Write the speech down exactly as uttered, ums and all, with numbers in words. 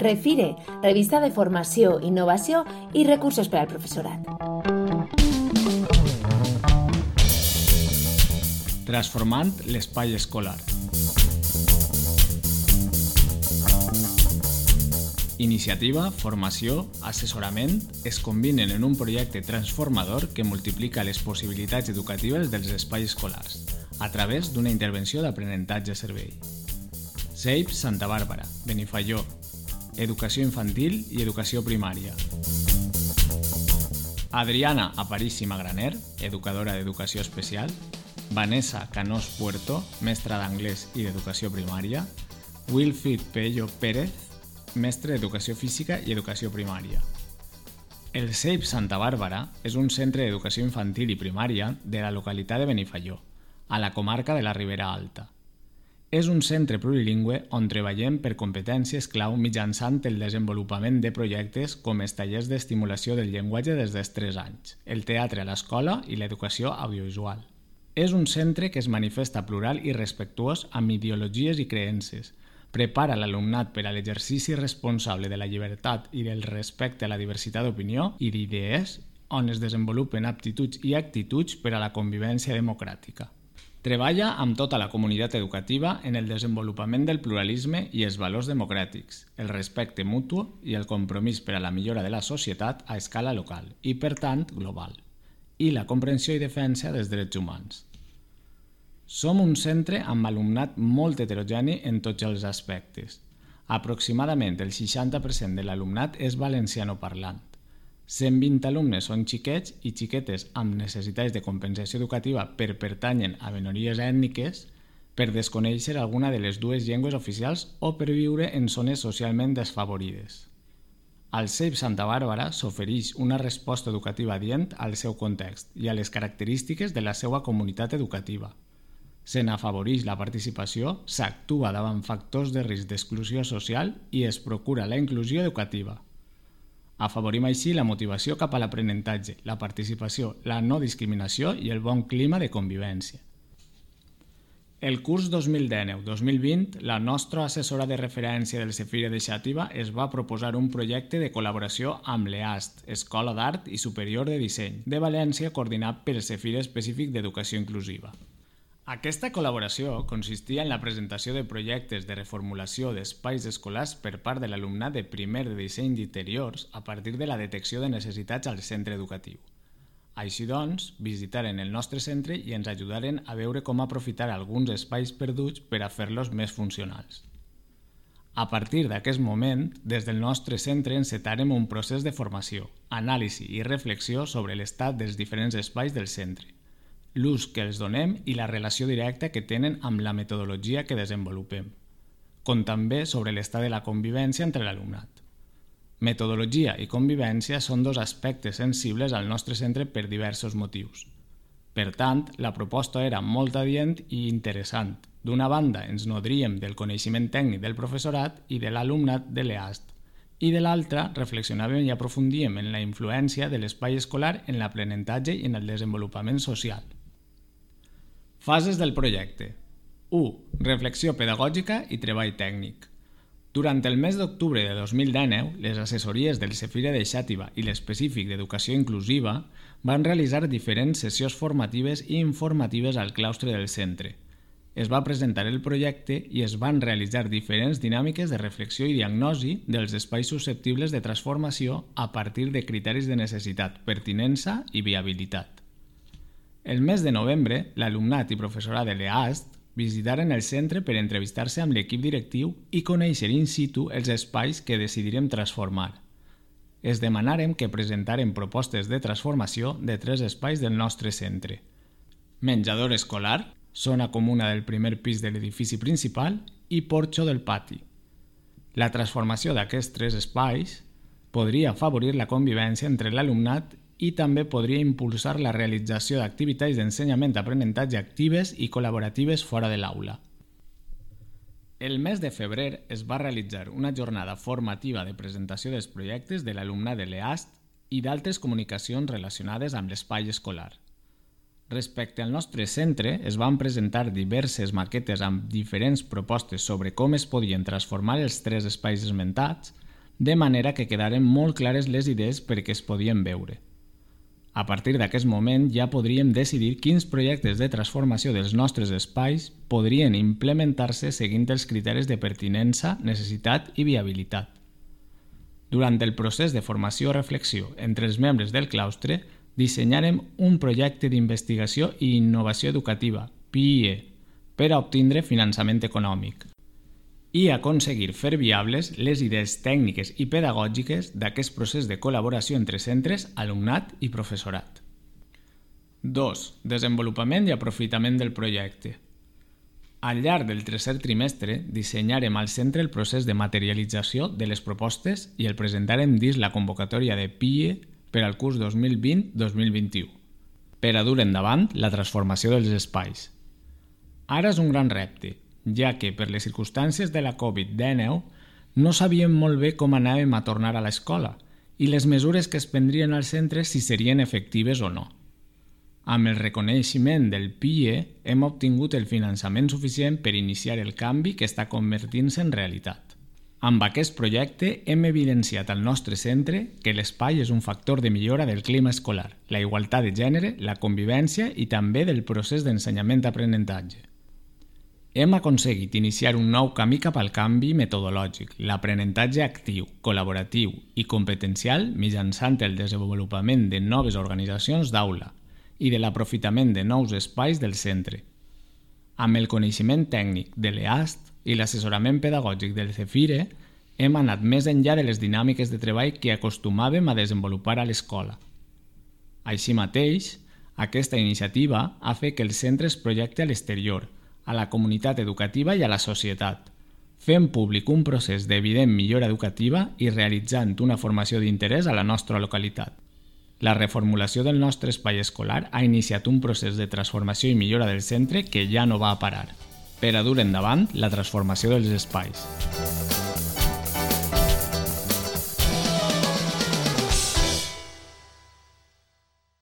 Refire, revista de formació, innovació i recursos per al professorat. Transformant l'espai escolar. Iniciativa, formació, assessorament es combinen en un projecte transformador que multiplica les possibilitats educatives dels espais escolars a través d'una intervenció d'aprenentatge-servei. S E I P Santa Bàrbara, Benifaió, Educació Infantil i Educació Primària. Adriana Aparici Magraner, educadora d'Educació Especial. Vanessa Canós Puerto, mestra d'anglès i d'Educació Primària. Wilfrid Pello Pérez, mestre d'Educació Física i Educació Primària. El S E I P Santa Bàrbara és un centre d'educació infantil i primària de la localitat de Benifaió, a la comarca de la Ribera Alta. És un centre plurilingüe on treballem per competències clau mitjançant el desenvolupament de projectes com els tallers d'estimulació del llenguatge des dels tres anys, el teatre a l'escola i l'educació audiovisual. És un centre que es manifesta plural i respectuós amb ideologies i creences, prepara l'alumnat per a l'exercici responsable de la llibertat i del respecte a la diversitat d'opinió i d'idees, on es desenvolupen aptituds i actituds per a la convivència democràtica. Treballa amb tota la comunitat educativa en el desenvolupament del pluralisme i els valors democràtics, el respecte mutu i el compromís per a la millora de la societat a escala local i, per tant, global, i la comprensió i defensa dels drets humans. Som un centre amb alumnat molt heterogeni en tots els aspectes. Aproximadament el seixanta per cent de l'alumnat és valencianoparlant. cent vint alumnes són xiquets i xiquetes amb necessitats de compensació educativa per pertanyen a minories ètniques, per desconèixer alguna de les dues llengües oficials o per viure en zones socialment desfavorides. Al S E I P Santa Bàrbara s'ofereix una resposta educativa adient al seu context i a les característiques de la seva comunitat educativa. Se n'afavoreix la participació, s'actua davant factors de risc d'exclusió social i es procura la inclusió educativa. Afavorim així la motivació cap a l'aprenentatge, la participació, la no discriminació i el bon clima de convivència. El curs dos mil dinou dos mil vint, la nostra assessora de referència del Cefire de Xàtiva es va proposar un projecte de col·laboració amb l'E A S T, Escola d'Art i Superior de Disseny, de València, coordinat pel Cefire Específic d'Educació Inclusiva. Aquesta col·laboració consistia en la presentació de projectes de reformulació d'espais escolars per part de l'alumnat de primer de disseny d'interiors a partir de la detecció de necessitats al centre educatiu. Així doncs, visitaren el nostre centre i ens ajudaren a veure com aprofitar alguns espais perduts per a fer-los més funcionals. A partir d'aquest moment, des del nostre centre encetarem un procés de formació, anàlisi i reflexió sobre l'estat dels diferents espais del centre, l'ús que els donem i la relació directa que tenen amb la metodologia que desenvolupem, com també sobre l'estat de la convivència entre l'alumnat. Metodologia i convivència són dos aspectes sensibles al nostre centre per diversos motius. Per tant, la proposta era molt adient i interessant. D'una banda, ens nodríem del coneixement tècnic del professorat i de l'alumnat de l'E A S T, i de l'altra, reflexionàvem i aprofundíem en la influència de l'espai escolar en l'aprenentatge i en el desenvolupament social. Fases del projecte. u. Reflexió pedagògica i treball tècnic. Durant el mes d'octubre de dos mil dinou, les assessories del Cefire de Xàtiva i l'Específic d'Educació Inclusiva van realitzar diferents sessions formatives i informatives al claustre del centre. Es va presentar el projecte i es van realitzar diferents dinàmiques de reflexió i diagnosi dels espais susceptibles de transformació a partir de criteris de necessitat, pertinença i viabilitat. El mes de novembre, l'alumnat i professorat de l'E A S T visitaren el centre per entrevistar-se amb l'equip directiu i conèixer in situ els espais que decidirem transformar. Es demanarem que presentarem propostes de transformació de tres espais del nostre centre. Menjador escolar, zona comuna del primer pis de l'edifici principal i porxo del pati. La transformació d'aquests tres espais podria afavorir la convivència entre l'alumnat i també podria impulsar la realització d'activitats d'ensenyament-aprenentatge actives i col·laboratives fora de l'aula. El mes de febrer es va realitzar una jornada formativa de presentació dels projectes de l'alumnat de l'E A S T i d'altres comunicacions relacionades amb l'espai escolar. Respecte al nostre centre, es van presentar diverses maquetes amb diferents propostes sobre com es podien transformar els tres espais esmentats, de manera que quedaren molt clares les idees perquè es podien veure. A partir d'aquest moment ja podríem decidir quins projectes de transformació dels nostres espais podrien implementar-se seguint els criteris de pertinença, necessitat i viabilitat. Durant el procés de formació-reflexió entre els membres del claustre, dissenyarem un projecte d'investigació i innovació educativa, P I E, per a obtindre finançament econòmic i aconseguir fer viables les idees tècniques i pedagògiques d'aquest procés de col·laboració entre centres, alumnat i professorat. dos. Desenvolupament i aprofitament del projecte. Al llarg del tercer trimestre, dissenyarem al centre el procés de materialització de les propostes i el presentarem dins la convocatòria de P I E per al curs dos mil vint dos mil vint-i-u, per a dur endavant la transformació dels espais. Ara és un gran repte, ja que per les circumstàncies de la covid dinou no sabíem molt bé com anàvem a tornar a l'escola i les mesures que es prendrien als centres si serien efectives o no. Amb el reconeixement del P I E hem obtingut el finançament suficient per iniciar el canvi que està convertint-se en realitat. Amb aquest projecte hem evidenciat al nostre centre que l'espai és un factor de millora del clima escolar, la igualtat de gènere, la convivència i també del procés d'ensenyament-aprenentatge. Hem aconseguit iniciar un nou camí cap al canvi metodològic, l'aprenentatge actiu, col·laboratiu i competencial mitjançant el desenvolupament de noves organitzacions d'aula i de l'aprofitament de nous espais del centre. Amb el coneixement tècnic de l'E A S T i l'assessorament pedagògic del CEFIRE, hem anat més enllà de les dinàmiques de treball que acostumàvem a desenvolupar a l'escola. Així mateix, aquesta iniciativa ha fet que el centre es projecti a l'exterior, a la comunitat educativa i a la societat, fent públic un procés d'evident millora educativa i realitzant una formació d'interès a la nostra localitat. La reformulació del nostre espai escolar ha iniciat un procés de transformació i millora del centre que ja no va a parar, per a dur endavant la transformació dels espais.